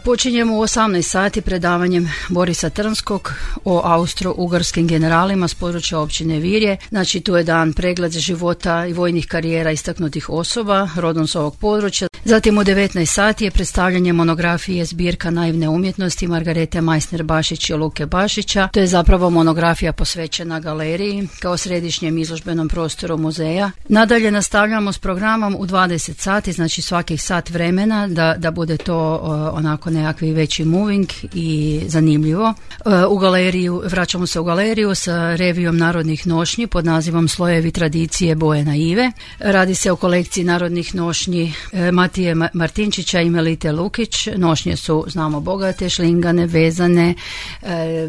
Počinjemo u 18 sati predavanjem Borisa Trnskog o austro-ugarskim generalima s područja općine Virje. Znači tu je dan pregled života i vojnih karijera istaknutih osoba rodom s ovog područja. Zatim u 19 sati je predstavljanje monografije Zbirka naivne umjetnosti Margarete Meissner-Bašić i Luke Bašića. To je zapravo monografija posvećena galeriji kao središnjem izložbenom prostoru muzeja. Nadalje nastavljamo s programom u 20 sati, znači svakih sat vremena da bude to onako nekakvi veći moving i zanimljivo. Vraćamo se u galeriju sa revijom narodnih nošnji pod nazivom Slojevi tradicije boje naive. Radi se o kolekciji narodnih nošnji Matije Martinčića i Melite Lukić. Nošnje su, znamo, bogate, šlingane, vezane,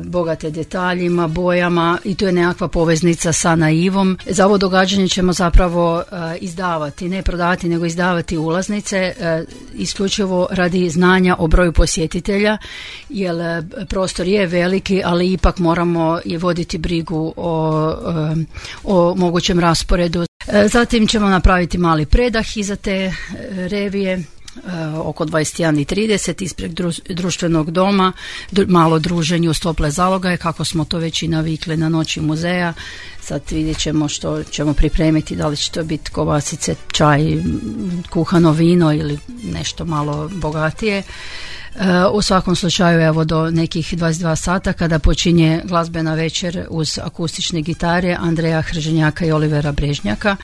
bogate detaljima, bojama i tu je nekakva poveznica sa naivom. Za ovo događanje ćemo zapravo izdavati, ne prodavati, nego izdavati ulaznice, isključivo radi znanja o broju posjetitelja, jer prostor je veliki, ali ipak moramo i voditi brigu o mogućem rasporedu. Zatim ćemo napraviti mali predah iza te revije, oko 21:30 ispred društvenog doma, malo druženje uz tople zalogaje, kako smo to već i navikli na noći muzeja. Sad vidjet ćemo što ćemo pripremiti, da li će to biti kobasice, čaj, kuhano vino ili nešto malo bogatije. U svakom slučaju evo do nekih 22 sata kada počinje glazbena večer uz akustične gitare Andreja Hrženjaka i Olivera Brežnjaka.